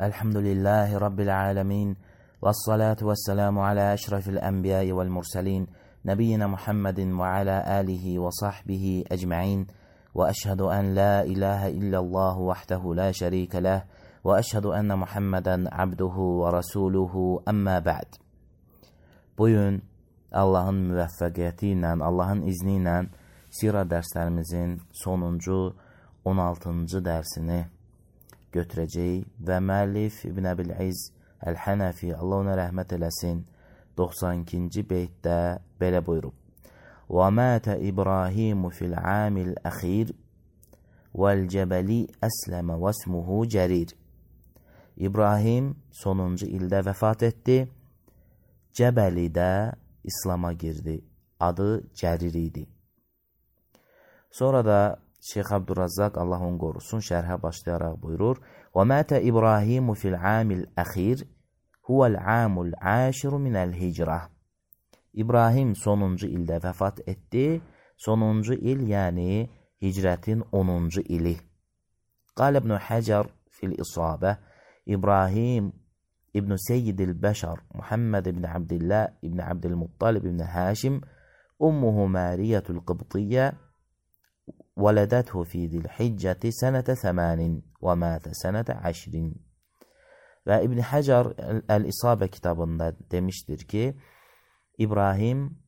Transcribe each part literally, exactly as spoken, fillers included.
Elhamdülillahi Rabbil alemin. Vessalatu vesselamu ala eşrefil enbiyai vel murselin. Nebiyyina Muhammedin ve ala alihi ve sahbihi ecma'in. Ve eşhedü en la ilahe illallah vahdehu la şerike leh. Ve eşhedü enne Muhammeden abduhu ve rasuluhu emma ba'd. Bugün Allah'ın müvəffəqiyyəti Allah'ın izni ilə sira dərslərimizin sonuncu on altıncı dərsini götürəcəyik və müəllif İbn Əbil-İz Əl-Hənəfi, Allah ona rəhmət eləsin, doxsan ikinci beytdə belə buyurub: وَمَاتَ إِبْرَاهِيمُ فِي الْعَامِ الْأَخِيرِ وَالْجَبَلِ أَسْلَمَ وَاسْمُهُ جَرِيرٌ. İbrahim sonuncu ildə vəfat etdi, Cəbəlidə İslam'a girdi, adı Cərir idi. Sonra da Şeyx Abdurrazzaq, Allah onu qorusun, şərhə başlayaraq buyurur: وَمَاتَ إِبْرَاهِيمُ فِي الْعَامِ الْأَخِيرِ هُوَ الْعَامُ الْعَاشِرُ مِنَ الْهِجْرَةِ. İbrahim sonuncu ildə vəfat etdi. Sonuncu il, yəni hicrətin onuncu ili. Qal İbn Həcər fil İsabə: İbrahim İbn Seyyidil Bəşər Muhammed ibn Abdillah ibn Abdülmuttalib ibn Haşim, ummuhu Mariyetul Qıbtiyyə, وَلَدَتْهُ فِي ذِي الْحِجَّةِ سَنَةَ ثَمَانٍ وَمَاتَ سَنَةَ عَشْرٍ. Və İbn Həcər Əl-İsabə kitabında demişdir ki, İbrahim,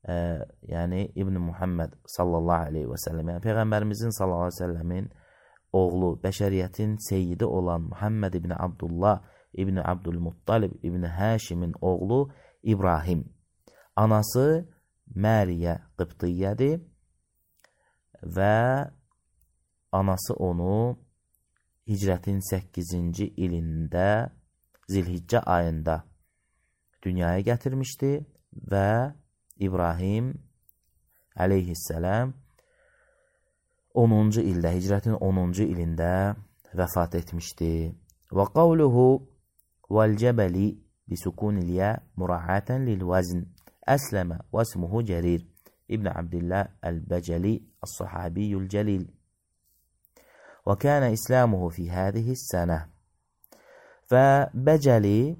e, yəni İbn Muhammed sallallahu aleyhi və səlləm, yəni Peyğəmbərimizin sallallahu aleyhi və səlləmin oğlu, bəşəriyyətin seyyidi olan Muhammed ibn Abdullah ibn Abdülmuttalib ibn Haşimin oğlu İbrahim. Anası Məriyə Qıbtiyyədir və anası onu hicrətin səkkizinci ilində Zilhiccə ayında dünyaya gətirmişdi və İbrahim əleyhissələm onuncu ildə, hicrətin onuncu ilində vəfat etmişdi. Və qavluhu vəl-cəbəli bisukunil-yə mura'atan lil-vəzn əsləmə və ismuhu Cərir İbn Abdillah Əl-Bəcəli Əs-Sahabiyyul Cəlil. Və kənə İslamuhu fi hədihis sənə. Və Bəcəli,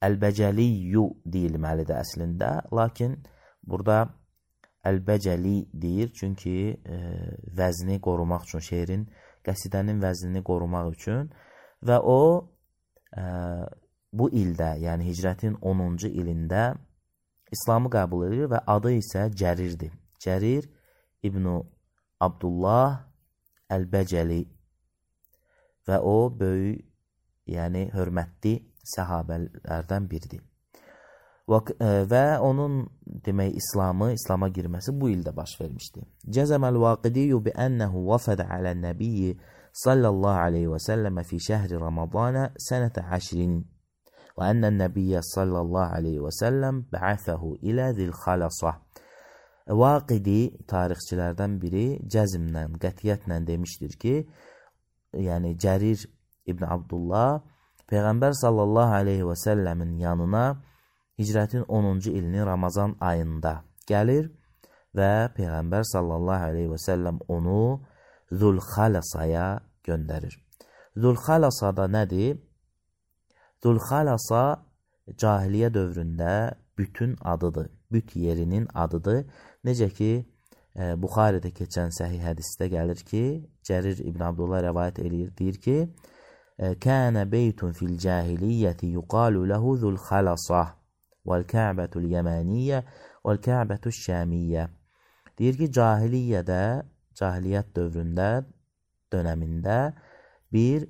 Əl-Bəcəliyyü deyilməlidir əslində, lakin burada Əl-Bəcəli deyir, çünki e, vəzni qorumaq üçün, şeirin, qəsidənin vəznini qorumaq üçün və o e, bu ildə, yəni hicrətin onuncu ilində İslamı qəbul edir və adı isə Cərirdir. Cərir İbn Abdullah Əl-Bəcəli və o böyük, yəni hörmətli səhabələrdən biridir. Və, və onun demək İslamı, İslama girməsi bu ildə baş vermişdi. Cəzəməl-Vaqidiyyu bi-ənəhu vəfədə aləl-nəbiyyi sallallahu aleyhi və səlləmə fi şəhri Ramadana sənətə əşrin. Və ənən nəbiyyə sallallahu aleyhi və səlləm bə'əfəhu ilə zil-xalasa. Vaqidi tarixçilərdən biri cəzmlə, qətiyyətlə demişdir ki, yəni Cərir İbn Abdullah Peyğəmbər sallallahu aleyhi və səlləmin yanına hicrətin onuncu ilinin Ramazan ayında gəlir və Peyğəmbər sallallahu aleyhi və səlləm onu Zul-Xalasaya göndərir. Zul-Xalasada nədir? Zul-Xalasa cahiliyyə dövründə bütün adıdır, büt yerinin adıdır. Necə ki, e, Buxaridə keçən səhih hədisdə gəlir ki, Cərir İbn Abdullah rəvayət eləyir, deyir ki, Kənə beytun fil cahiliyyəti yuqalu ləhu Zul-Xalasa vəl-Kə'bətul yəmaniyyə vəl-Kə'bətul şəmiyyə. Deyir ki, cahiliyyədə, cahiliyyət dövründə, dönəmində bir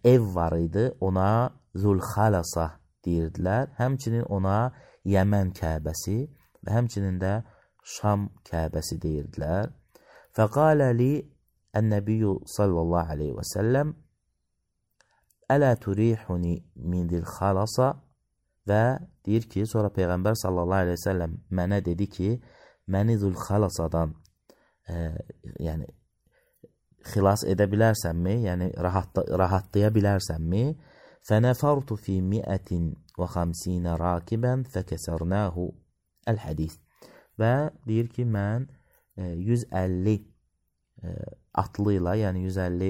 ev var idi, ona Zul-Xalasa deyirdilər. Həmçinin ona Yəmən Kəbəsi və həmçinin də Şam Kəbəsi deyirdilər. Fəqalə li ən-nəbiyyü sallallahu aleyhi və səlləm ələ turihuni min Zul-Xalasa və deyir ki, sonra Peyğəmbər sallallahu aleyhi və səlləm mənə dedi ki, məni Zul-Xalasadan e, yəni xilas edə bilərsənmi, yəni rahat, rahatlaya bilərsənmi? Fənəfərtu fi miətin və xamsinə rakibən fəkəsərnəhu əl-hədis. Və deyir ki, mən yüz əlli atlı ilə, yəni yüz əlli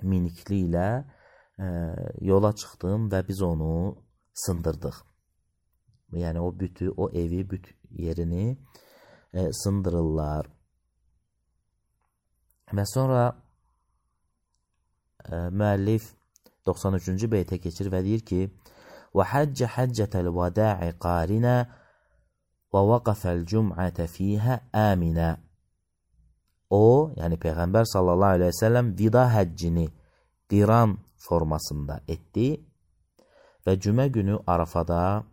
minikli ilə e, yola çıxdım və biz onu sındırdıq. Yəni o bütü, o evi, büt yerini e, sındırırlar. Və sonra e, müəllif doxsan üçüncü beytə keçir və deyir ki: "Və həcce həccətəl vada'i qarinə və vaqafəl cum'ətə fiyhə əminə." O, yəni Peyğəmbər sallallahu aleyhi və səlləm vida həccini qiran formasında etdi və cümə günü Arafada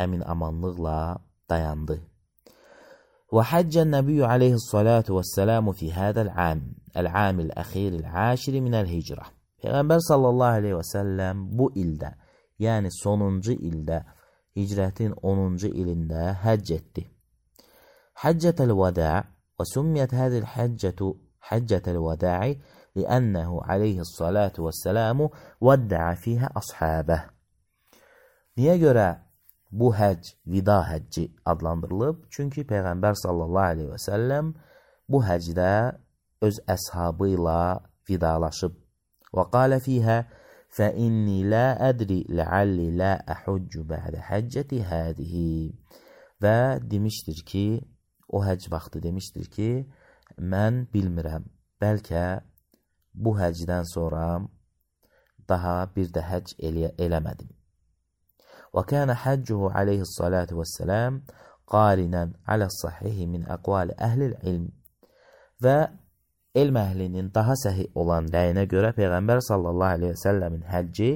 əmin amanlıqla dayandı. Və həccən nəbiyyü aleyhissalatu vəssəlamu fi hədəl əm, əl-əmil əxiril əşiri minəl hicrə. Peyğəmbər sallallahu aleyhi və səlləm bu ildə, yəni sonuncu ildə, hicrətin onuncu ilində həcc etdi. Həccətəl vəda' və sümmiyət hədil həccətu həccətəl vəda'i li'ənəhu aleyhissalatu vəssəlamu vəddəə fiyhə əshabəh. Niyə görə bu həcc vida həcci adlandırılıb? Çünki Peyğəmbər sallallahu aleyhi və səlləm bu həcdə öz əshabı ilə vidalaşıb. Və qalə fiyhə fəinni lə ədri ləalli lə əhudcu bə'də həccəti hədihi. Və demişdir ki, o həcc vaxtı demişdir ki, mən bilmirəm, bəlkə bu həcdən sonra daha bir də həcc elə eləmədim. Və kənə həccuhu aleyhissalatu vəssələm qarinən aləs-sahihi min əqvali əhlil ilm. Və elm əhlinin daha səhih olan rəyinə görə Peyğəmbər sallallahu aleyhi və səlləmin həcci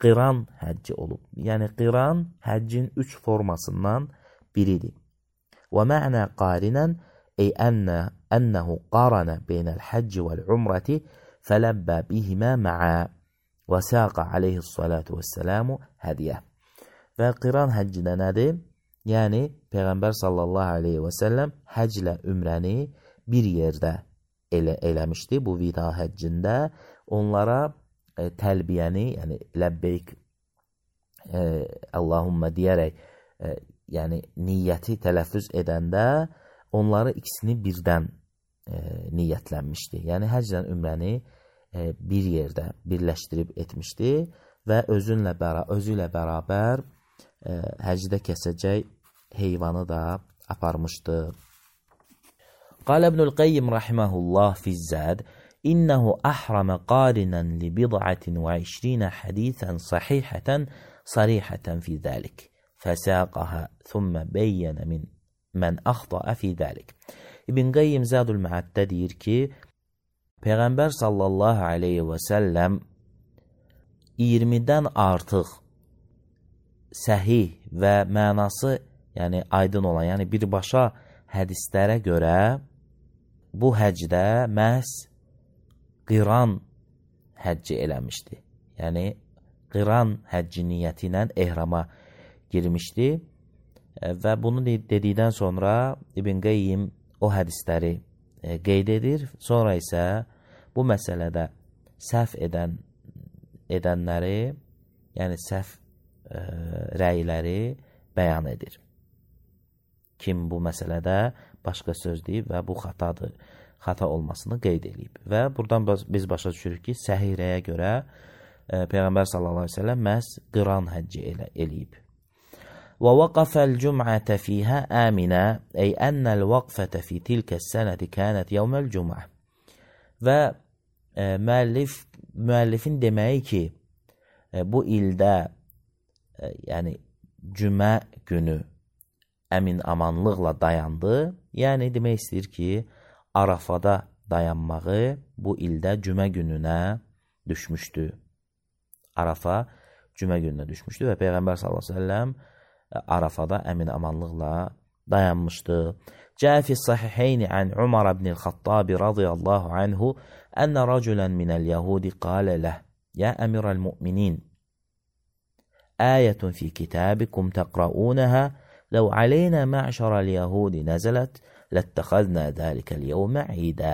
qiran həcci olub. Yəni qiran həccin üç formasından biridir. Və mə'nə qarinən ey ənə ənəhu qarana beynəl həcci vəl-umrəti fələbbə bihimə mə'ə və səqa aleyhissalatu vəssəlamu hədiyə. Və qiran həcci də nədir? Yəni Peyğəmbər sallallahu aleyhi və səlləm həclə ümrəni bir yerdə elə, eləmişdi. Bu vida həccində onlara e, təlbiyəni, yəni ləbbeyk e, Allahumma deyərək e, yəni niyyəti tələffüz edəndə onları ikisini birdən e, niyyətlənmişdi. Yəni həclə ümrəni e, bir yerdə birləşdirib etmişdi və özünlə bəra özü ilə bərabər e, həcdə kəsəcək heyvanı da aparmışdı. Qalə İbnül Qayyim rahimehullah fiz-Zad innehu ahrama qarinan li bid'atin və işrinə hadisən sahihatan sarihatan fi zalik. Fəsəqəhə thumma beyyənə min mən əxtaə fi dəlik. İbn Qayyim Zadul Məəddə deyir ki, Peyğəmbər sallallahu aleyhi və səlləm iyirmidən artıq səhih və mənası, yəni aydın olan, yəni birbaşa hədislərə görə bu həcdə məhz qiran həcci eləmişdi. Yəni qiran həcci niyyəti ilə ehrama girmişdi və bunu dedikdən sonra İbn Qayyim o hədisləri e, qeyd edir. Sonra isə bu məsələdə səhv edən edənləri, yəni səhv e, rəyləri bəyan edir. Kim bu məsələdə başqa söz deyib və bu xatadır, xata olmasını qeyd edib. Və buradan biz başa düşürük ki, səhih rəyə görə e, Peyğəmbər sallallahu aleyhi ve sellem məhz qiran həcci elə, eləyib. ووقف الجمعة فيها آمنا أي أن الوقفة في تلك السنة كانت يوم الجمعة. Və e, müəllif, müəllifin deməyi ki, e, bu ildə e, yəni cümə günü əmin amanlıqla dayandı. Yəni demək istəyir ki, Arafada dayanmağı bu ildə cümə gününə düşmüşdü. Arafa cümə gününə düşmüşdü və Peyğəmbər sallallahu əleyhi və səlləm Arafada əmin amanlıqla dayanmışdı. Cəə fi sahiheyni ən Umar ibn el-Xattabi radiyallahu anhu ənə rəculən minəl-yəhudi qalə ləh yə əmirəl-mü'minin ayətun fi kitabikum təqra'unəhə ləv aleynə mə'şərəl-yəhudi nəzələt ləttəxəznə dəlikəl-yevmə idə.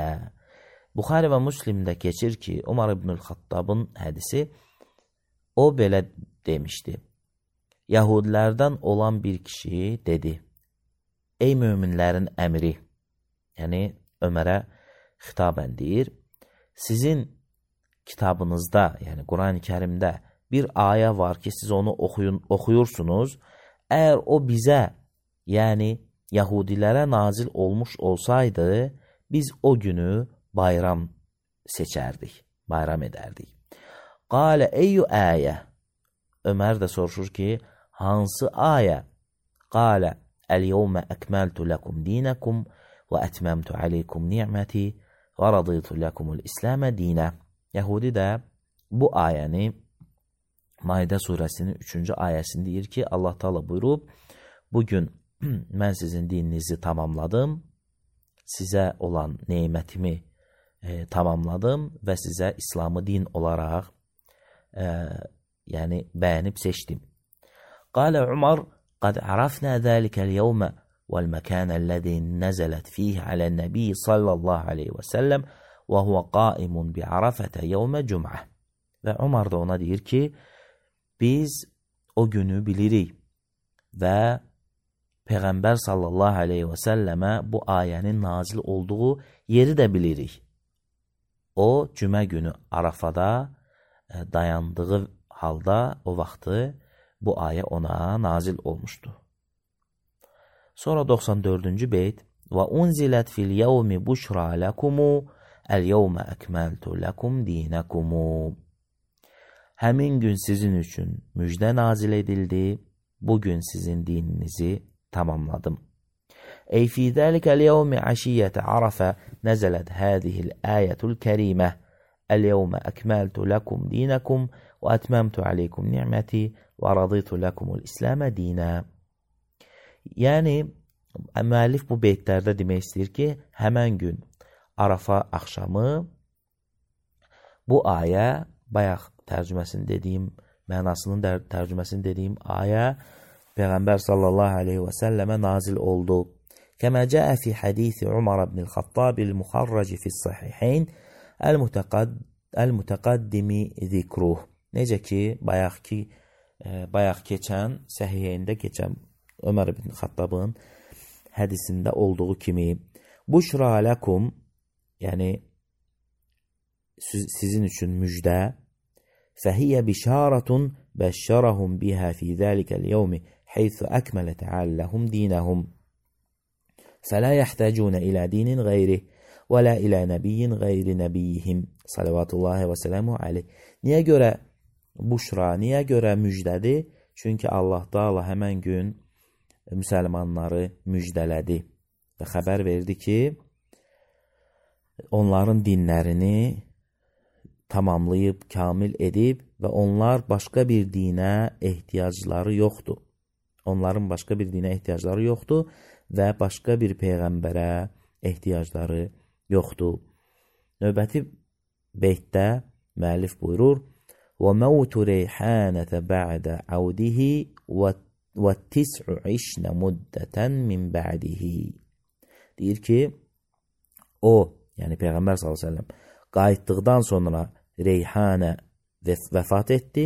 Buxari və Müslimdə keçir ki, Umar ibn el-Xattabın hədisi o belə demişdi. Yahudilərdən olan bir kişi dedi, ey möminlərin əmri, yəni Ömərə xitabən deyir, sizin kitabınızda, yani Kur'an-ı Kerim'de bir aya var ki siz onu okuyun, okuyursunuz. Eğer o bize, yani Yahudilere nazil olmuş olsaydı biz o günü bayram seçerdik, bayram ederdik. Kale eyyu ayet. Ömer de soruşur ki hansı ayet? Kale el yevme ekmeltu lekum dinakum ve etmemtu aleykum ni'meti ve raditu lekumul İslam'e dine. Yahudi de bu ayəni Maide suresinin üçüncü ayəsində deyir ki, Allah Teala buyurub, bugün mən sizin dininizi tamamladım, sizə olan neymətimi e, tamamladım və sizə İslamı din olaraq e, yəni bəyənib seçdim. Qale Umar, qad arafna zəlikəl yevmə vəl məkənəl-ləzi nəzələt fiyh aləl-nəbi sallallahu aleyhi və səlləm və huvə qaimun bi arafətə yevmə cüm'ə. Və Umar da ona deyir ki, biz o günü bilirik və Peyğəmbər sallallahu aleyhi və səlləmə bu ayənin nazil olduğu yeri də bilirik. O, cümə günü Arafada dayandığı halda o vaxtı bu ayə ona nazil olmuşdu. Sonra doxsan dördüncü beyt və unzilət fil yevmi buşra lekumu el yevmə əkməltu lekum dinekumu. Həmin gün sizin üçün müjdə nazil edildi, bugün sizin dininizi tamamladım. Ey fi zəlikəl yevmi aşiyyətə arafə nəzələt hədihil ayətul kərimə el yevmə əkməltu lekum dinekum və etməmtu aleykum ni'məti və raditu lekumul İslamə dinə. Yəni, müəllif bu beytlərdə demək istəyir ki, həmən gün Arafa axşamı bu ayə, bayaq tərcüməsini dediyim, mənasının tərcüməsini dediyim ayə Peyğəmbər sallallahu aleyhi və səlləmə nazil oldu. Kəmə cəə fi hədisi Umar ibn el-Xattabil muxarraci fis-sahihayn el-mütəqaddimi zikruh. Necə ki, bayaq ki, bayaq keçən, səhihəyində keçən Ömər ibn Xattabın hədisində olduğu kimi, buşra ləkum, yəni sizin üçün müjdə, fəhiyyə bişaratun bəşşərəhum bihə fi zəlikəl yevmi heythu əkmələ təalləhum dinəhum. Fələ yəhtəcunə ilə dinin qeyri və lə ilə nəbiyyin qeyri nəbiyyihim. Salavatullahi və sələmu aleyh. Niyə görə buşra, niyə görə müjdədir? Çünki Allah Teala həmən gün müsəlmanları müjdələdi və xəbər verdi ki, onların dinlərini tamamlayıb, kamil edib və onlar başqa bir dinə ehtiyacları yoxdur. Onların başqa bir dinə ehtiyacları yoxdur və başqa bir peyğəmbərə ehtiyacları yoxdur. Növbəti beytdə müəllif buyurur: "Və mautu reyhanətə ba'də audihi və tis'u işnə muddətən min ba'dihi." Deyir ki, o, yəni Peyğəmbər sallallahu əleyhi və səlləm qayıtdıqdan sonra Reyhanə vəfat etdi.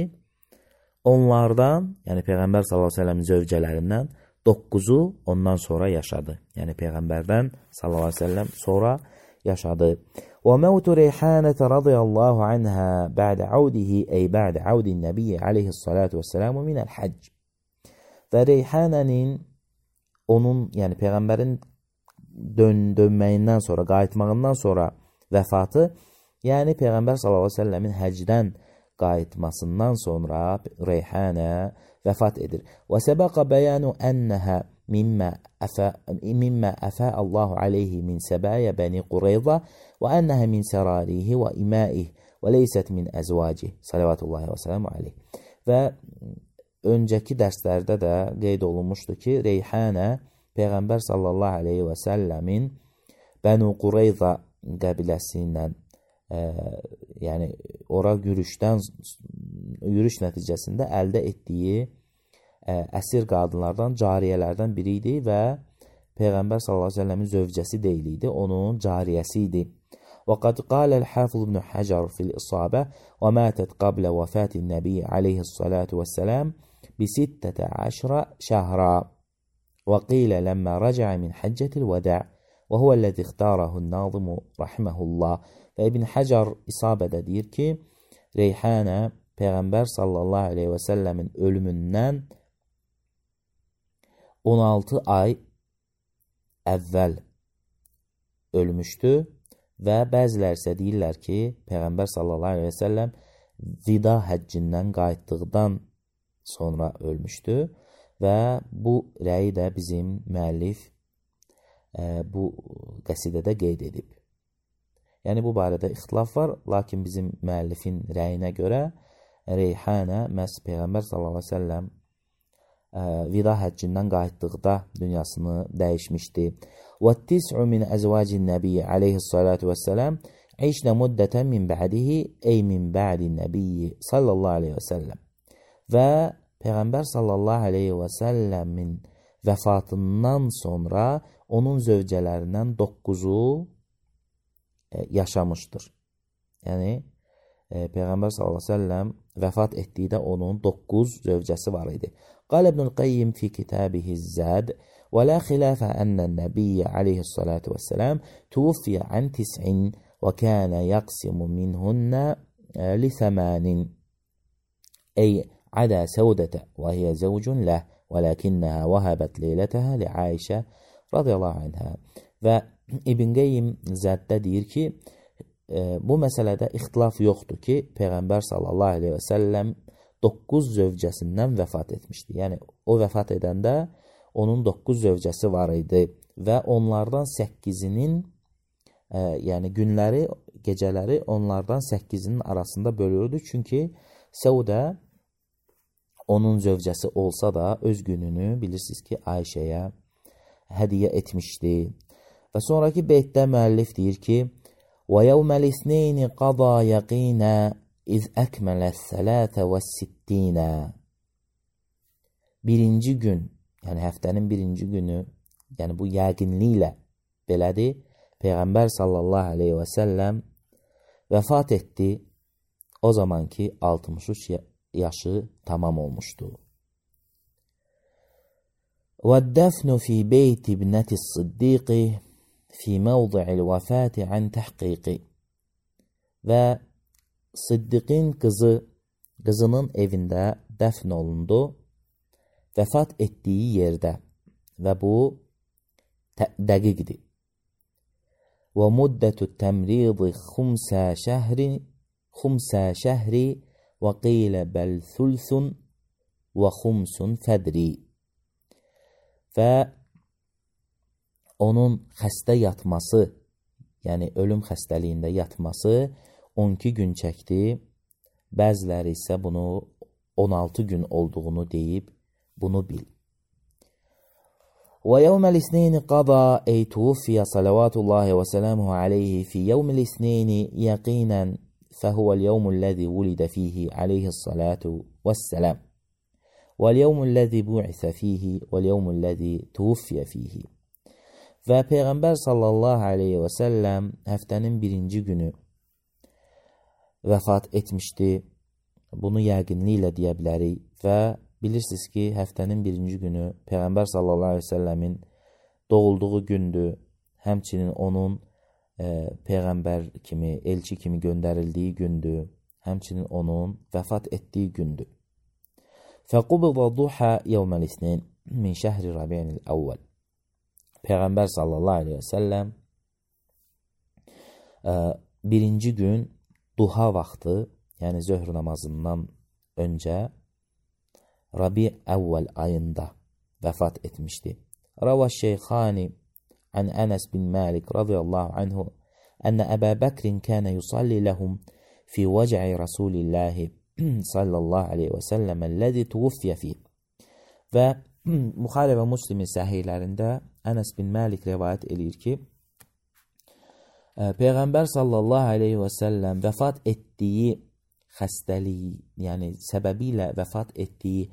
Onlardan, yəni Peyğəmbər sallallahu əleyhi və səlləmin zövcələrindən doqquzu ondan sonra yaşadı. Yəni Peyğəmbərdən sallallahu əleyhi və səlləm sonra yaşadı. Və mautu Reyhanətə radiyallahu anhə ba'də audihi, ey ba'də audin nəbiyyə aleyhissalatu vəssəlamu minəl həcc. Və Reyhanənin, onun, yəni Peyğəmbərin dön, dönməyindən sonra, qayıtmağından sonra vəfatı, yəni Peyğəmbər sallallahu əleyhi və səlləmin həcdən qayıtmasından sonra Reyhanə vəfat edir. Və səbəqə bəyanu ənəhə mimmə əfə, mimmə əfə Allahu aleyhi min səbəyə bəni Qureyza və ənəhə min sərarihi və iməih və leysət min əzvacih. Salavatullahi və sələmu aleyh. Və öncəki dərslərdə də qeyd olunmuşdu ki, Reyhanə Peyğəmbər sallallahu aleyhi və səlləmin Bənu Qureyza qəbiləsindən, e, yəni ora yürüşdən, yürüş nəticəsində əldə etdiyi e, əsir qadınlardan, cariyələrdən biri idi və Peyğəmbər sallallahu əleyhi və səlləmin zövcəsi deyil idi, onun cariyəsi idi. Və qad qaləl Hafiz ibn Hacar fil İsabə və mətət qablə vəfatin nəbi aleyhissalatu vəssələm bi sittətə əşrə şəhra və qilə ləmmə rəcəə min həccətil vədə. وهو الذي اختاره الناظم رحمه الله. Və İbn Həcar İsabədə deyir ki, Reyhanə Peyğəmbər sallallahu aleyhi və səlləmin ölümündən on altı ay əvvəl ölmüşdü və bəzilər isə deyirlər ki, Peyğəmbər sallallahu aleyhi və səlləm vida həccindən qayıtdıqdan sonra ölmüşdü və bu rəyi də bizim müəllif e, bu qəsidədə qeyd edib. Yəni bu barədə ixtilaf var, lakin bizim müəllifin rəyinə görə Reyhanə məhz Peyğəmbər sallallahu aleyhi və səlləm e, vida həccindən qayıtdıqda dünyasını dəyişmişdi. وَالتِّسْعُ مِنْ أَزْوَاجِ النَّبِيِّ عَلَيْهِ الصَّلَاةُ وَالسَّلَامِ عِشْنَ مُدَّةً مِنْ بَعْدِهِ أي مِنْ بَعْدِ النَّبِيِّ sallallahu aleyhi və səlləm. Və Peyğəmbər sallallahu aleyhi və səlləmin vəfatından sonra onun zövcələrindən dokkuzu yaşamışdır. Yəni, e, Peyğəmbər sallallahu aleyhi və səlləm vəfat etdikdə onun doqquz zövcəsi var idi. Qal İbnül Qayyim fi kitabihi Zad və la xilafə ənən nəbiyyə aleyhissalatu vəssalam tuvfiyə ən tis'in və kənə yaqsimu minhunnə li thəmanin ey عدا سودة وهي زوج له ولكنها وهبت ليلتها لعائشة رضي الله عنها. Və İbn Qayyim Zəddə deyir ki, e, bu məsələdə ixtilaf yoxdur ki, Peyğəmbər sallallahu aleyhi və səlləm doqquz zövcəsindən vəfat etmişdi. Yəni, o vəfat edəndə onun doqquz zövcəsi var idi və onlardan səkkizinin, e, yəni günləri, gecələri onlardan səkkizinin arasında bölürdü. Çünki Səudə onun zövcəsi olsa da öz gününü bilirsiniz ki, Ayşəyə hədiyə etmişdi. Və sonraki beytdə müəllif deyir ki, وَيَوْمَ الْإِثْنَيْنِ قَضَى يَقِينًا إِذْ أَكْمَلَ الثَّلَاثَ وَالسِّتِّينَ. Birinci gün, yəni həftənin birinci günü, yəni bu yəqinliklə belədir, Peyğəmbər sallallahu aleyhi və səlləm vəfat etdi, o zaman ki altmış üç yaşı tamam olmuşdu. وَالدَّفْنُ فِي بَيْتِ ابْنَةِ الصِّدِّيقِ فِي مَوْضِعِ الْوَفَاةِ عَنْ تَحْقِيقِ. Və Siddiqin qızı, qızının evində dəfn olundu, vəfat etdiyi yerdə və bu dəqiqdir. وَمُدَّةُ التَّمْرِيضِ خُمْسَ شَهْرِ خُمْسَ شَهْرِ وَقِيلَ بَلْ ثُلْثٌ وَخُمْسٌ فَدْرِ. Və onun xəstə yatması, yəni ölüm xəstəliyində yatması on iki gün çəkdi. Bəziləri isə bunu on altı gün olduğunu deyib, bunu bil. وَيَوْمَ الْإِثْنَيْنِ قَضَى أَيْ تُوفِيَ صَلَوَاتُ اللَّهِ وَسَلَامُهُ عَلَيْهِ فِي يَوْمِ الْإِثْنَيْنِ يَقِينًا فهو اليوم الذي ولد فيه عليه الصلاة والسلام واليوم الذي بعث فيه واليوم الذي توفي فيه. Və Peyğəmbər sallallahu aleyhi və səlləm həftənin birinci günü vəfat etmişdi. Bunu yəqinliklə deyə bilərik və bilirsiniz ki, həftənin birinci günü Peyğəmbər sallallahu aleyhi və səlləmin doğulduğu gündür. Həmçinin onun e, Peyğəmbər kimi, elçi kimi göndərildiyi gündür. Həmçinin onun vəfat etdiyi gündür. Fəqubida duha yevməl isnin min şəhri Rabi'nil əvvəl. Peyğəmbər sallallahu aleyhi və səlləm e, birinci gün duha vaxtı, yəni zöhr namazından öncə Rabi əvvəl ayında vəfat etmişdi. Rava Şeyxani an Anas bin Malik radiyallahu anhu ənə Əbə Bəkrin kənə yusalli ləhum fi vəcə'i Rasulillahi sallallahu aleyhi və səlləm əlləzi tuvuffiyə fih. Və Buxari və Müslimin səhihlərində Anas bin Malik rivayət edir ki, Peyğəmbər sallallahu aleyhi və səlləm vəfat etdiyi xəstəliyi, yəni səbəbi ilə vəfat etdiyi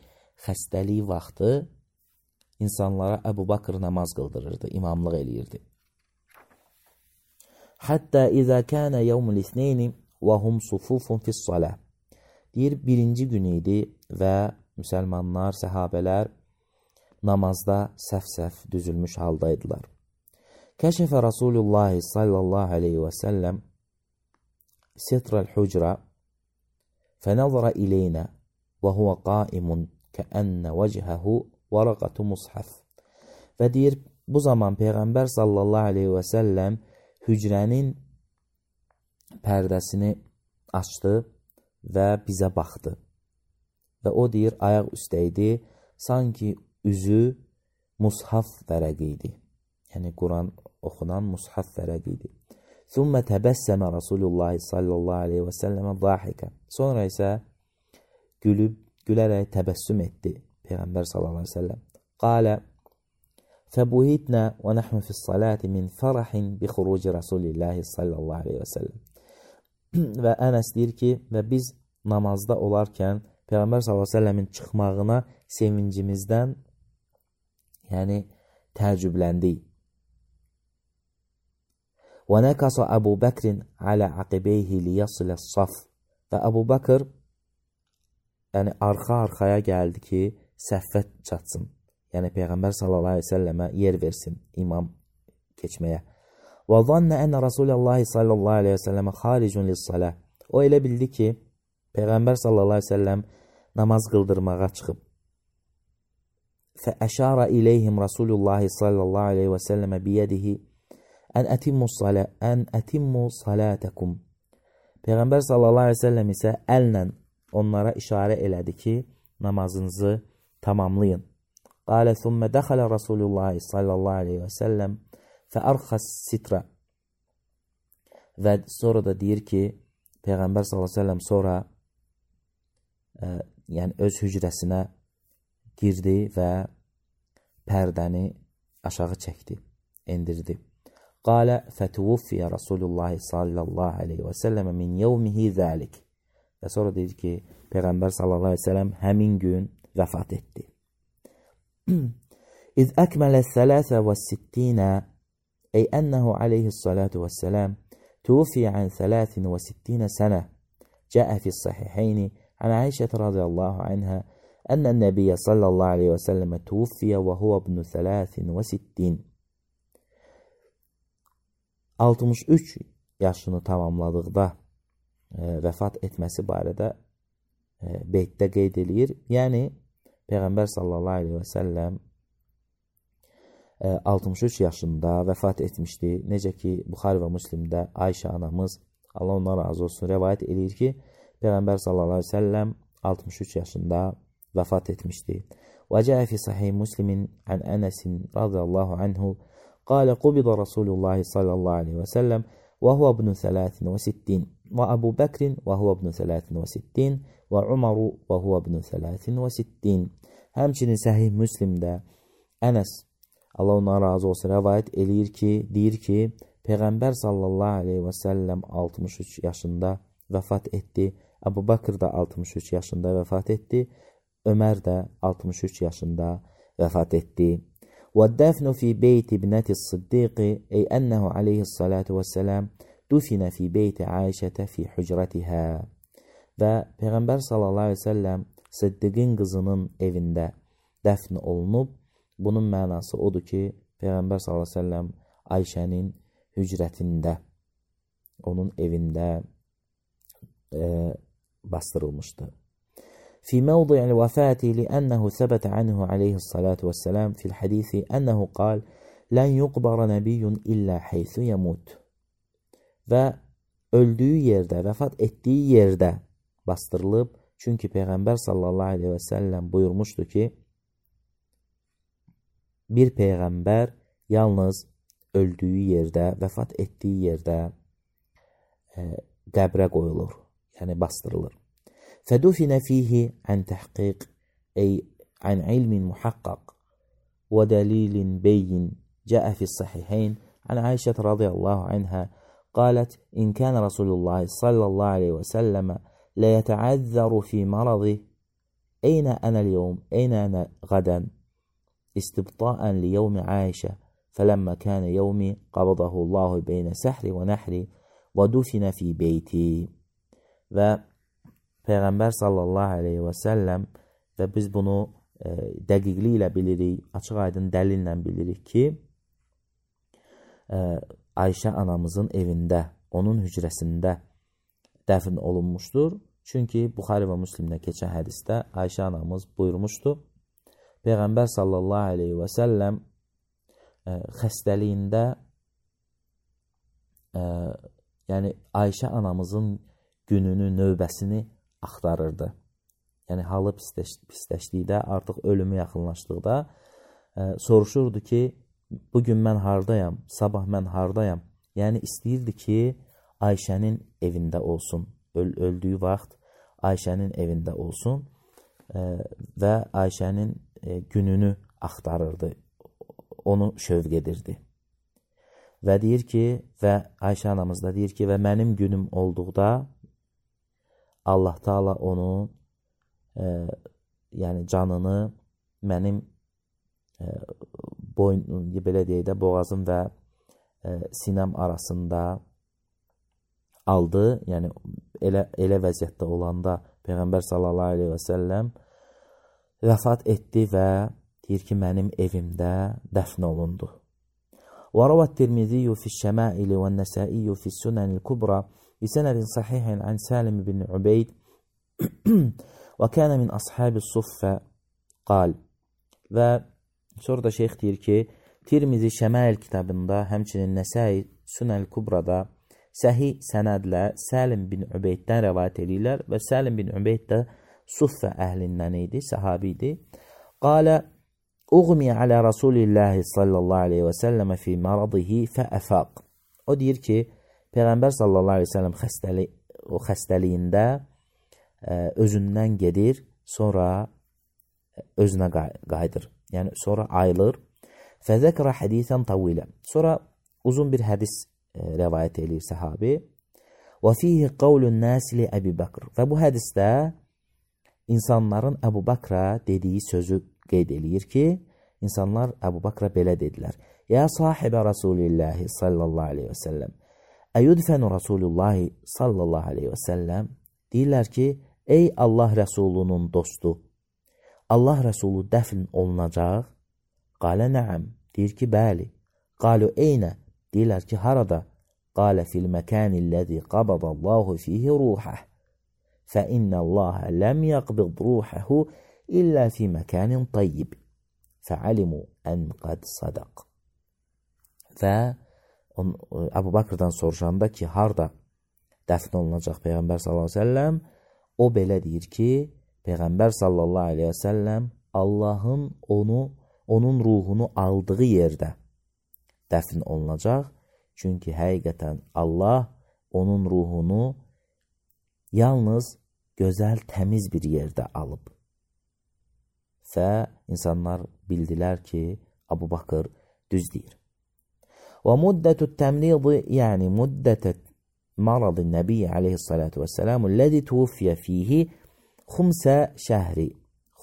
xəstəliyi vaxtı insanlara Əbu Bakr namaz qıldırırdı, imamlıq eləyirdi. Hətta izə kənə yevmül isneyni və hum sufufun fis-salah. Deyir, birinci gün idi və müsəlmanlar, səhabələr namazda səf-səf düzülmüş haldaydılar. Kəşəfə Rasulullah sallallahu aleyhi və səlləm ستر الحجرة فنظر إلينا وهو قائم كأن وجهه ورقة مصحف. Və deyir, bu zaman Peyğəmbər sallallahu aleyhi və səlləm hücrənin pərdəsini açdı və bizə baxdı. Və o deyir, ayaq üstəydi, sanki üzü mushaf vərəqi idi. Yəni, Quran oxunan mushaf vərəqi idi. Thumma təbəssəmə Rasulullah sallallahu aleyhi və səlləmə zahikə. Sonra isə gülüb, gülərək təbəssüm etdi Peyğəmbər sallallahu aleyhi və səlləm. Qalə فَبُهِتْنَا وَنَحْنُ فِي الصَّلَاةِ مِنْ فَرَحٍ بِخُرُوجِ رَسُولِ اللّٰهِ sallallahu aleyhi və səlləm. Və Ənəs deyir ki, və biz namazda olarkən Peyğəmbər sallallahu aleyhi və səlləmin çıxmağına sevincimizdən, yəni təəccübləndik. وَنَكَصَ أَبُو بَكْرٍ عَلَى عَقِبَيْهِ لِيَصِلَ الصَّفْ. Və Əbu Bakır yəni arxa-arxaya gəldi ki, səhvə çatsın. Yəni Peyğəmbər sallallahu aleyhi və səlləmə yer versin imam keçməyə. Və zannə ənə Rasulullah sallallahu aleyhi və səlləmə xaricun lis-salah. O elə bildi ki, Peyğəmbər sallallahu aleyhi və səlləm namaz qıldırmağa çıxıb. Fəəşara iləyhim Rasulullah sallallahu aleyhi və səlləmə biyədihi ən ətimmu salə, ən ətimmu salətəkum. Peyğəmbər sallallahu aleyhi və səlləm isə əllə onlara işarə elədi ki, namazınızı tamamlayın. Qalə thumma dəxələ Rasulullah sallallahu aleyhi və səlləm fəərxəs sitra. Və sonra da deyir ki, Peyğəmbər sallallahu aleyhi və səlləm sonra ə, yəni öz hücrəsinə girdi və pərdəni aşağı çəkdi, endirdi. Qalə fətuvuffiyə Rasulullah sallallahu aleyhi və səlləm min yevmihi zəlik. Və sonra deyir ki, Peyğəmbər sallallahu aleyhi və səlləm həmin gün vəfat etdi. İz əkmələ thələthə və sittinə ey ənəhu aleyhi salatu və səlam tuvfiyə ən thələthin və sittinə sənə cəə fi sahihəyni ən Aişət radiyallahu anhə ənə nəbiyyə sallallahu aleyhi və səlləmə tuvfiyə və huvə ibnu thələthin və sittin. altmış üç yaşını tamamladıqda e, vəfat etməsi barədə e, beytdə qeyd edir. Yəni, Peyğəmbər sallallahu aleyhi və səlləm e, altmış üç yaşında vəfat etmişdi. Necə ki, Buxari və Müslimdə Ayşə anamız, Allah ondan razı olsun, rəvayət edir ki, Peyğəmbər sallallahu aleyhi və səlləm altmış üç yaşında vəfat etmişdi. Və cəə fi sahih Müslimin ən Ənəsin radiyallahu anhu qalə qubida Rasulullah sallallahu aleyhi və səlləm və huvə ibnu thələthin və sittin və Əbu Bəkrin və huvə ibnu thələthin və sittin və Umaru və huvə ibnu thələthin və sittin. Həmçinin Səhih Müslimdə Ənəs, Allah ondan razı olsun, rəvayət eləyir ki, deyir ki, Peyğəmbər sallallahu aleyhi və səlləm altmış üç yaşında vəfat etdi. Əbu Bakır da altmış üç yaşında vəfat etdi. Ömər də altmış üç yaşında vəfat etdi. وَالدَّفْنُ فِي بَيْتِ ابْنَةِ الصِّدِّيقِ أي أنه عليه الصلاة والسلام دُفِنَ في بيت عائشة في حجرتها. Və Peyğəmbər sallallahu aleyhi və səlləm Siddiqin qızının evində dəfn olunub. Bunun mənası odur ki, Peyğəmbər sallallahu aleyhi və səlləm Ayşənin hücrətində, onun evində e, bastırılmışdı. في موضع الوفاة لأنه ثبت عنه عليه الصلاة والسلام في الحديث أنه قال لن يقبر نبي إلا حيث يموت. Və öldüyü yerdə, vəfat etdiyi yerdə bastırılıb. Çünki Peyğəmbər sallallahu aleyhi və səlləm buyurmuşdu ki, bir Peyğəmbər yalnız öldüyü yerdə, vəfat etdiyi yerdə e, qəbrə qoyulur, yəni bastırılır. فدفن فيه عن تحقيق أي عن علم محقق ودليل بين جاء في الصحيحين عن عائشة رضي الله عنها قالت إن كان رسول الله صلى الله عليه وسلم لا يتعذر في مرضه أين أنا اليوم أين أنا غدا استبطاء ليوم عائشة فلما كان يومي قبضه الله بين سحر ونحر ودفن في بيتي. Və Peyğəmbər sallallahu aleyhi və səlləm və biz bunu e, dəqiqliklə bilirik, açıq aydın dəlillə bilirik ki, e, Ayşə anamızın evində, onun hücrəsində dəfn olunmuşdur. Çünki Buxari və Müslimdə keçən hədisdə Ayşə anamız buyurmuşdu. Peyğəmbər sallallahu aleyhi və səlləm ə, xəstəliyində ə, yəni Ayşə anamızın gününü, növbəsini axtarırdı. Yəni halı pisləş, pisləşdikdə, artıq ölümü yaxınlaşdıqda ə, soruşurdu ki, bugün mən hardayam, sabah mən hardayam. Yəni istəyirdi ki, Ayşənin evində olsun. Öl öldüyü vaxt Ayşənin evində olsun ə, və Ayşənin ə, gününü axtarırdı. Onu şövq edirdi. Və deyir ki, və Ayşə anamız da deyir ki, və mənim günüm olduqda Allah Taala onun ə, yəni canını mənim ə, boyun, belə deyək də, boğazım və ə, sinəm arasında aldı. Yəni elə elə vəziyyətdə olanda Peyğəmbər sallallahu əleyhi və səlləm vəfat etdi və deyir ki, mənim evimdə dəfn olundu. Və ravə Tirmizi fi şəmail və Nəsai fi Sunan el-Kubra bi sanad sahih an Salim ibn Ubayd və kana min ashab as-suffa qal. Və sonra da şeyx deyir ki, Tirmizi Şəmail kitabında, həmçinin Nəsai Sunan el-Kubrada səhih sənədlə Salim bin Ubeyddən rəvayət edirlər və Salim bin Ubeyd də Suffə əhlindən idi, səhabi idi. Qalə uğmi alə Rasulillahi sallallahu aleyhi və səlləmə fi maradihi fəəfaq. O deyir ki, Peyğəmbər sallallahu aleyhi və səlləm xəstəli, o xəstəliyində ə, özündən gedir, sonra özünə qayıdır. Yəni sonra ayılır. Fəzəkra hədisən tavilə. Sonra uzun bir hədis rəvayət edir səhabi. Və fihi qavlun nasi li Əbi Bakr. Və bu hədisdə insanların Əbu Bakra dediyi sözü qeyd eləyir ki, insanlar Əbu Bakra belə dedilər. Ya sahibə Rasulillahi sallallahu aleyhi və səlləm. Əyudfənu Rasulullahi sallallahu aleyhi və səlləm. Deyirlər ki, ey Allah Rəsulunun dostu, Allah Rəsulu dəfn olunacaq. Qalə nəəm. Deyir ki, bəli. Qalu eynə. Deyirlər ki, harada? Qalə fil məkənilləzi qabadallahu fihi ruhəh. Fə innəlləhə ləm yəqbid ruhəhu illə fi məkənin tayyib. Fəalimu ən qad sadaq. Və Əbu Bakrdan soruşanda ki, harada dəfn olunacaq Peyğəmbər sallallahu aleyhi və səlləm, o belə deyir ki, Peyğəmbər sallallahu aleyhi və səlləm Allahın onu, onun ruhunu aldığı yerdə dəfn olunacaq. Çünki həqiqətən Allah onun ruhunu yalnız gözəl, təmiz bir yerdə alıb. Və insanlar bildilər ki, Əbu Bakır düz deyir. Və müddətü təmridi, yəni müddətə marad nəbiyyə aleyhissalatu vəssəlamu ləzi tuvfiyə fihi xumsə şəhri.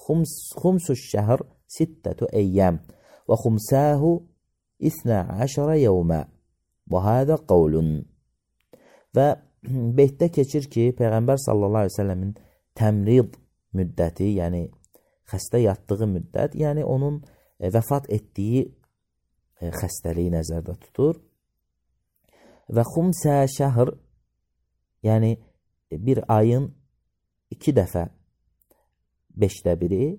Xumsu şəhr sittətü əyyəm və xumsəhu İsnə əşərə yevmə və hədə qavlun. Və beytdə keçir ki, Peyğəmbər sallallahu aleyhi ve səlləmin təmrid müddəti, yəni xəstə yatdığı müddət, yəni onun e, vəfat etdiyi e, xəstəliyi nəzərdə tutur. Və xumsə şəhr, yəni bir ayın iki dəfə beşdə biri,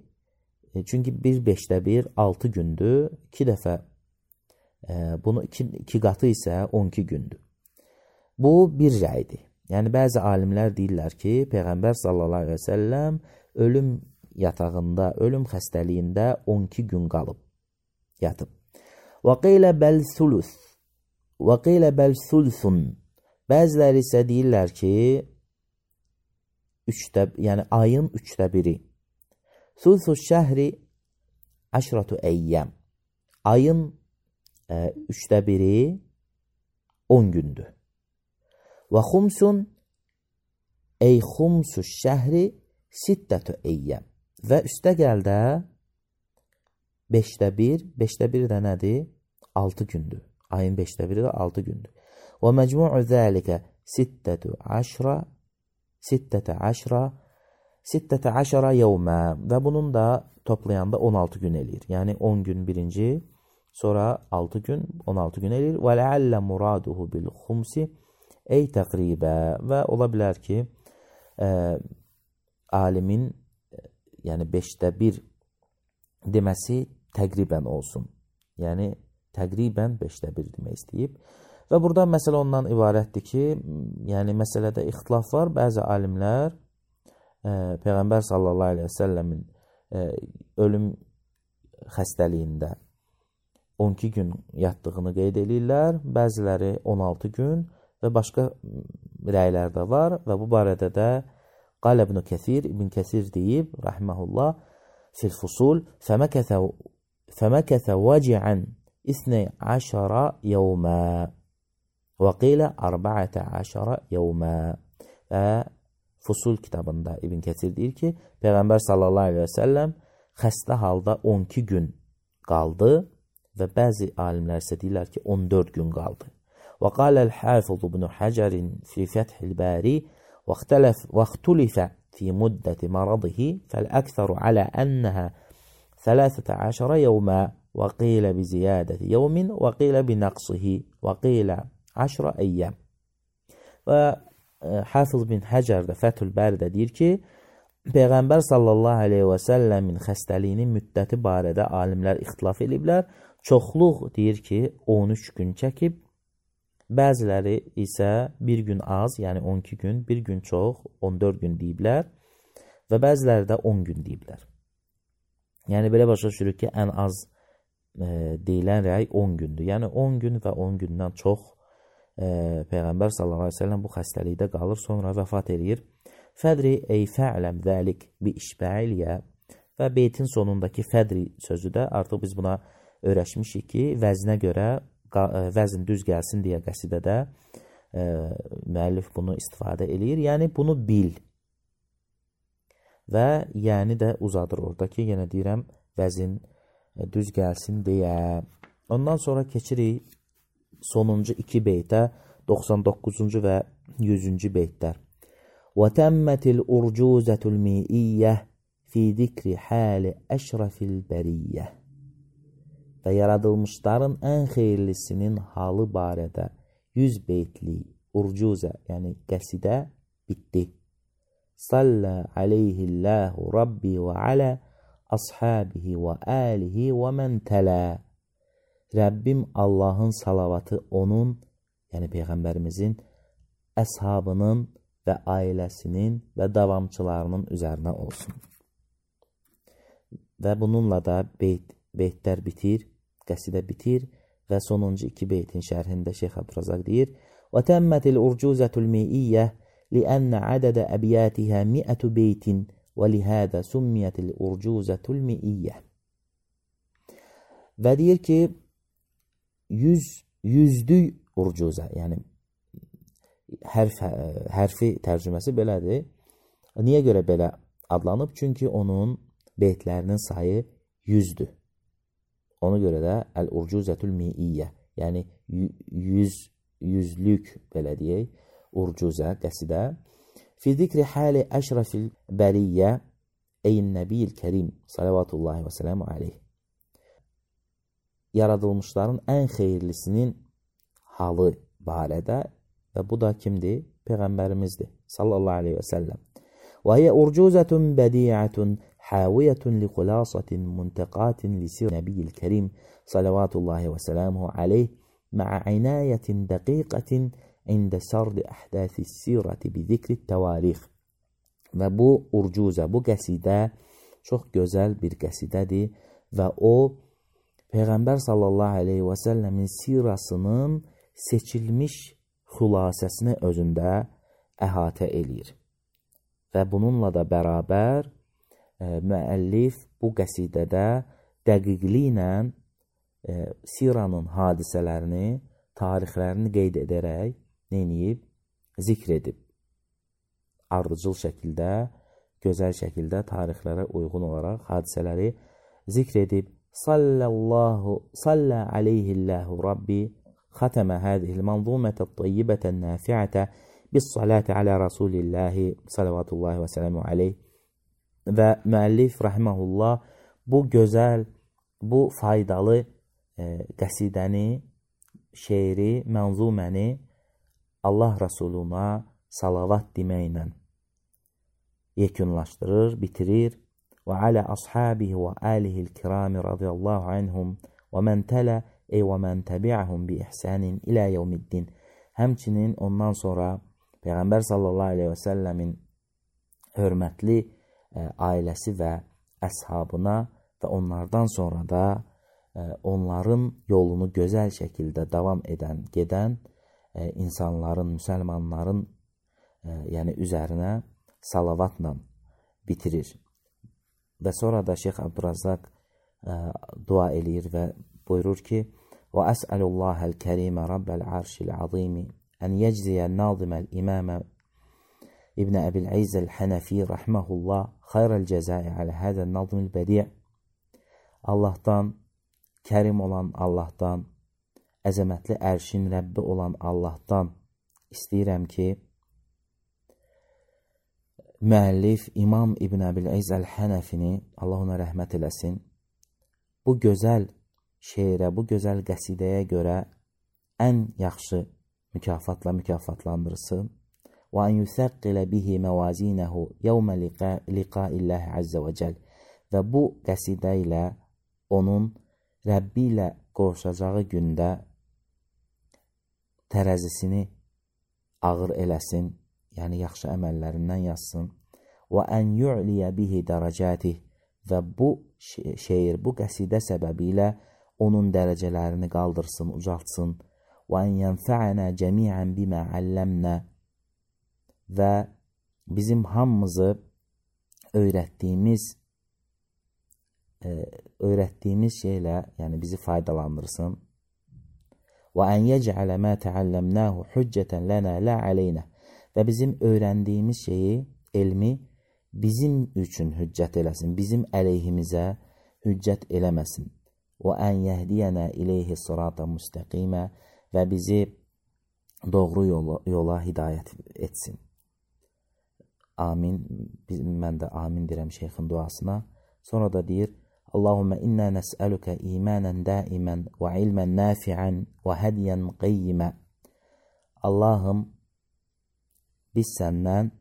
e, çünki bir beşdə bir altı gündür, iki dəfə bunu iki, iki qatı isə on iki gündür. Bu bir rəydir. Yəni bəzi alimlər deyirlər ki, Peyğəmbər sallallahu aleyhi və səlləm ölüm yatağında, ölüm xəstəliyində on iki gün qalıb, yatıb. Və qilə bəl suluth. Və qilə bəl suluthun. Bəziləri isə deyirlər ki, üçdə, yəni ayın üçdə biri. Suluthu şəhri əşratu əyyəm. Ayın e, üçdə biri on gündür. Və xumsun ey xumsu şəhri sittətü əyyəm. Və üstə gəldə beşdə bir, beşdə bir də nədir? altı gündür. Ayın beşdə biri də altı gündür. Və məcmu'u zəlikə sittətü əşra sittətə əşra sittətə əşra yevmə. Və bunun da toplayanda on altı gün eləyir. Yəni on gün birinci, sonra altı gün, on altı gün eləyir. Və ləallə muraduhu bil xumsi ey təqribə və ola bilər ki, ə, alimin yəni beşdə bir deməsi təqribən olsun. Yəni təqribən beşdə bir demək istəyib. Və burada məsələ ondan ibarətdir ki, yəni məsələdə ixtilaf var. Bəzi alimlər ə, Peyğəmbər sallallahu əleyhi və səlləmin ə, ölüm xəstəliyində on iki gün yatdığını qeyd edirlər. Bəziləri on altı gün və başqa rəylər də var və bu barədə də Qal İbn Kəsir, İbn Kəsir deyib, rahiməhullah, fil fusul, fəməkəthə fəməkəthə vəciən isnə əşərə yevmə və qilə ərbəətə əşərə yevmə. Və Fusul kitabında İbn Kəsir deyir ki, Peyğəmbər sallallahu aleyhi və səlləm xəstə halda on iki gün qaldı və bəzi alimlər isə deyirlər ki, on dörd gün qaldı. Və qaləl Hafız İbn Həcərin fi Fəthil Bəri واختلف في مدة مرضه فالأكثر على أنها ثلاثة عشر يوما وقيل بزيادة يوم وقيل بنقصه وقيل عشر أيام. Və Hafız bin Həcər də Fəthül Bəridə deyir ki, Peyğəmbər sallallahu aleyhi və səlləmin xəstəliyinin müddəti barədə alimlər ixtilaf ediblər. Çoxluq deyir ki, on üç gün çəkib, bəziləri isə bir gün az, yəni on iki gün, bir gün çox, on dörd gün deyiblər və bəziləri də on gün deyiblər. Yəni belə başa düşürük ki, ən az e, deyilən rəy on gündür. Yəni on gün və on gündən çox e, Peyğəmbər sallallahu aleyhi ve sellem bu xəstəlikdə qalır, sonra vəfat edir. Fədri ey fə'ləm zəlik bi işbəiliyə və beytin sonundakı fədri sözü də artıq biz buna öyrəşmişik ki, vəzinə görə vəzn düz gəlsin deyə qəsidədə e, müəllif bunu istifadə eləyir. Yəni bunu bil. Və yəni də uzadır orada ki, yenə deyirəm, vəzn e, düz gəlsin deyə. Ondan sonra keçirik sonuncu iki beytə, doxsan doqquzuncu və yüzüncü beytlər. وَتَمَّتِ الْاُرْجُوزَةُ الْمِئِيَّةِ فِي ذِكْرِ حَالِ أَشْرَفِ الْبَرِيَّةِ. Və yaradılmışların ən xeyirlisinin halı barədə yüz beytli urcuzə, yəni qəsidə bitdi. Sallə aleyhillahu Rabbi və alə ashabihi və alihi və mən tələ. Rəbbim Allahın salavatı onun, yəni Peyğəmbərimizin, əshabının və ailəsinin və davamçılarının üzərinə olsun. Və bununla da beyt, beytlər bitir. Qəsidə bitir və sonuncu iki beytin şərhində Şeyx Abdurazaq deyir: "Və təmmətil urcuzatul mi'iyyə li'anna adada abyatiha mi'atu beytin və lihada summiyatil urcuzatul mi'iyyə." Və deyir ki, yüz yüzlük urcuza, yəni hərf, hərfi tərcüməsi belədir. Niyə görə belə adlanıb? Çünki onun beytlərinin sayı yüzdür. Ona görə də əl-urcuzətul mi'iyyə, yəni yüz, yüzlük belə deyək, urcuzə, qəsidə. Fi zikri hali əşrafil bəriyyə eyn nəbiyil kərim salavatullahi və sələmu aleyh. Yaradılmışların ən xeyirlisinin halı barədə və bu da kimdir? Peyğəmbərimizdir sallallahu aleyhi və səlləm. Və hiyə urcuzətun bədiyyətun حاوية لخلاصة منتقات لسير النبي الكريم صلوات الله وسلامه عليه مع عناية دقيقة عند سرد أحداث السيرة بذكر التواريخ. Və bu urcuzə, bu qəsidə çox gözəl bir qəsidədir və o Peyğəmbər sallallahu aleyhi və səlləmin sirasının seçilmiş xülasəsini özündə əhatə eləyir. Və bununla da bərabər müəllif bu qəsidədə dəqiqliklə e, siranın hadisələrini, tarixlərini qeyd edərək neyiniyib? Zikr edib. Ardıcıl şəkildə, gözəl şəkildə tarixlərə uyğun olaraq hadisələri zikr edib. Sallallahu, sallə aleyhillahu Rabbi xətəmə hədihil manzumətə tayyibətən nəfiətə bis salati alə Rasulillahi salavatullahi və sələmu aleyh. Və müəllif rahiməhullah bu gözəl, bu faydalı e, qəsidəni, şeiri, mənzuməni Allah Rasuluna salavat deməklə yekunlaşdırır, bitirir. Və alə ashabihi və alihil kirami radiyallahu anhum və mən tələ ey və mən təbi'ahum bi ihsanin ilə yevmiddin. Həmçinin ondan sonra Peyğəmbər sallallahu aleyhi və səlləmin hörmətli ə, ailəsi və əshabına və onlardan sonra da ə, onların yolunu gözəl şəkildə davam edən, gedən ə, insanların, müsəlmanların ə, yəni üzərinə salavatla bitirir. Və sonra da Şeyx Abdurrazzaq ə, dua eləyir və buyurur ki: "Və əs'alullahəl kərimə rabbəl arşil azimi ən yəcziyə naziməl imamə İbn Əbil İzzəl Hənəfi rahmehullah xayrəl cəzai alə həzəl nazmil bədi'." Allahdan, kərim olan Allahdan, əzəmətli ərşin Rəbbi olan Allahdan istəyirəm ki, müəllif İmam İbn Əbil İzz Əl-Hənəfini, Allah ona rəhmət eləsin, bu gözəl şeirə, bu gözəl qəsidəyə görə ən yaxşı mükafatla mükafatlandırsın. Və ən yüsəqqilə bihi məvazinəhu yevmə liqailləhi əzzə və cəl. Və bu qəsidə ilə onun Rəbbi ilə qovuşacağı gündə tərəzisini ağır eləsin, yəni yaxşı əməllərindən yazsın. Və ən yu'liyə bihi dərəcətih. Və bu şeir, bu qəsidə səbəbi ilə onun dərəcələrini qaldırsın, ucaltsın. Və ən yənfə'ənə cəmiən bimə əlləmnə. Və bizim hamımızı öyrətdiyimiz e, öyrətdiyimiz şeylə, yəni bizi faydalandırsın. Və ən yəc'ələ mə təəlləmnəhu hüccətən lənə lə aleynə. Və bizim öyrəndiyimiz şeyi, elmi bizim üçün hüccət eləsin, bizim əleyhimizə hüccət eləməsin. Və ən yəhdiyənə ileyhi sırata müstəqimə. Və bizi doğru yola, yola hidayət etsin. Amin. Mən də amin deyirəm şeyxin duasına. Sonra da deyir: Allahümmə innə nəsəlükə imanən daimən və ilmən nafi'ən və hədiyən qeyyimə. Allahım, biz səndən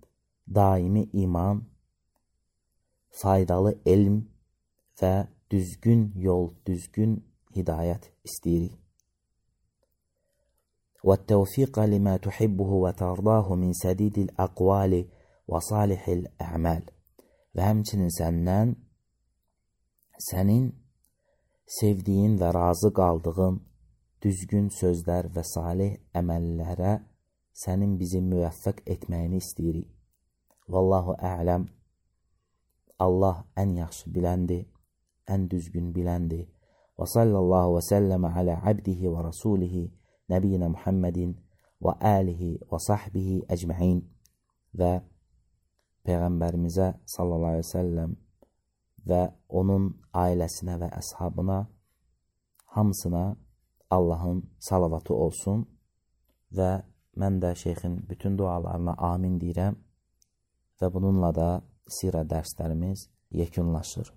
daimi iman, faydalı elm və düzgün yol, düzgün hidayət istəyirik. Və təvfiqə limə tuhibbuhu və tardahu min sədidil əqvali və salihil əməl. Və həmçinin səndən sənin sevdiyin və razı qaldığın düzgün sözlər və salih əməllərə sənin bizi müvəffəq etməyini istəyirik. Vallahu a'lam. Allah ən yaxşı biləndir, ən düzgün biləndir. Və sallallahu və səlləmə alə abdihi və rasulihi nəbiyyina Muhammedin və alihi və sahbihi əcməin. Və Peyğəmbərimizə sallallahu aleyhi və səlləm və onun ailəsinə və əshabına hamısına Allahın salavatı olsun. Və mən də şeyxin bütün dualarına amin deyirəm və bununla da sirə dərslərimiz yekunlaşır.